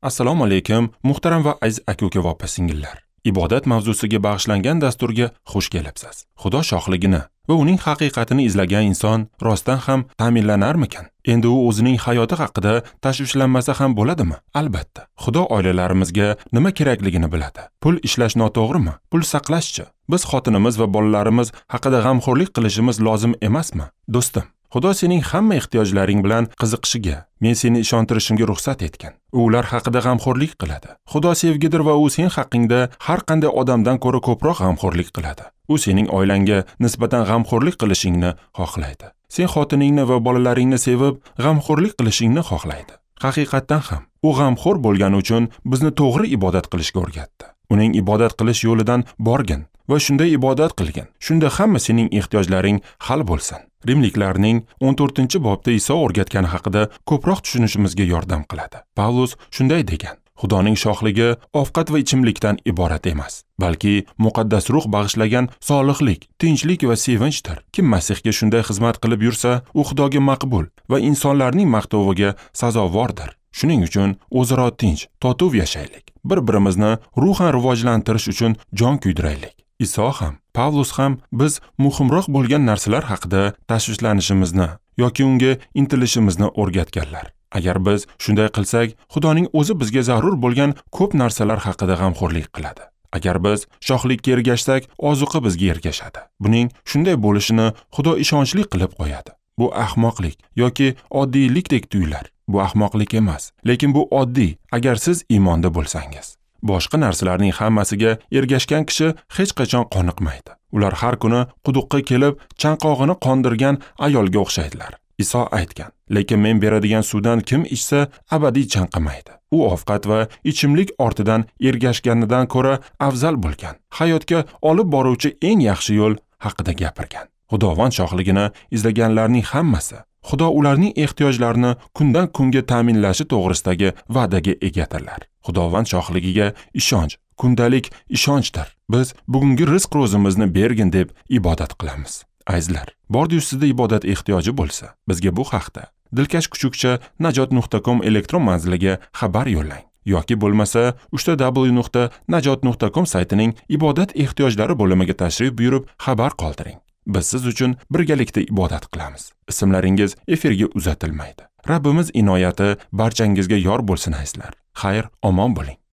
Assalomu alaykum, muhtaram va aziz aka-uka va opa-singillar. Ibodat mavzusiga bag'ishlangan dasturga xush kelibsiz. Xudo shohligini va uning haqiqatini izlagan inson rostdan ham ta'minlanarmikan? Endi u o'zining hayoti haqida tashvishlanmasa ham bo'ladimi? Albatta. Xudo oilalarimizga nima kerakligini biladi. Pul ishlash noto'g'rimi? Pul saqlashchi? Biz xotinimiz va bolalarimiz haqida g'amxo'rlik qilishimiz lozim emasmi? Do'stim, Xudo sening hamma ehtiyojlaring bilan qiziqishiga, men seni ishontirishimga ruxsat etgan. U ular haqida g'amxo'rlik qiladi. Xudo sevgidir va u sen haqingda har qanday odamdan ko'ra ko'proq g'amxo'rlik qiladi. U sening oilangga nisbatan g'amxo'rlik qilishingni xohlaydi. Sen xotiningni va bolalaringni sevib, g'amxo'rlik qilishingni xohlaydi. Haqiqatdan ham u g'amxo'r bo'lgani uchun bizni to'g'ri ibodat qilishga o'rgatdi. Uning ibodat qilish yo'lidan borgin va shunday ibodat qilgin. Shunda hamma sening ehtiyojlaring hal bo'lsin. Rimliklarning 14-bobda Iso o'rgatgani haqida ko'proq tushunishimizga yordam qiladi. Pavlus shunday degan: Xudoning shohligi ovqat va ichimlikdan iborat emas, balki muqaddas ruh bag'ishlagan solihlik, tinchlik va sevinchdir. Kim Masihga shunday xizmat qilib yursa, u Xudoga maqbul va insonlarning maqtoviga sazovordir. Shuning uchun o'zaro tinch, totuv yashaylik. Bir-birimizni ruhan rivojlantirish uchun jon kuydiraylik. Iso ham, Pavlus ham biz muhimroq bo'lgan narsalar haqida tashvishlanishimizni yoki unga intilishimizni o'rgatganlar. Agar biz shunday qilsak, Xudoning o'zi bizga zarur bo'lgan ko'p narsalar haqida g'amxo'rlik qiladi. Agar biz shohlikka ergashsak, ozuqa bizga ergashadi. Buning shunday bo'lishini Xudo ishonchli qilib qo'yadi. Bu ahmoqlik yoki oddiylikdek tuyular. Bu ahmoqlik emas, lekin bu oddiy, agar siz iymonda bo'lsangiz. Boshqa narsalarning hammasiga ergashgan kishi hech qachon qoniqmaydi. Ular har kuni quduqqa kelib, chanqog'ini qondirgan ayolga o'xshaydilar. Iso aytgan: lekin men beradigan suvdan kim ichsa, abadiy chanqamaydi. U ovqat va ichimlik ortidan ergashganidan ko'ra afzal bo'lgan, hayotga olib boruvchi eng yaxshi yo'l haqida gapirgan. Xudovand shohligini izlaganlarning hammasi Xudo ularning ehtiyojlarini kundan kunga ta'minlashi to'g'risidagi va'daga egadirlar. Xudovand shohligiga ishonch, kundalik ishonchdir. Biz bugungi rizq ro'zimizni bergin deb ibodat qilamiz. Azizlar, bordi-yu sizda ibodat ehtiyoji bo'lsa, bizga bu haqda dilkashkuchukcha@najot.com elektron manziliga xabar yo'llang yoki bo'lmasa www.najot.com saytining ibodat ehtiyojlari bo'limiga tashrif buyurib xabar qoldiring. Biz siz uchun birgalikda ibodat qilamiz. Ismlaringiz efirga uzatilmaydi. Rabbimiz inoyati barchangizga yor bo'lsin azizlar. Xayr, omon bo'ling.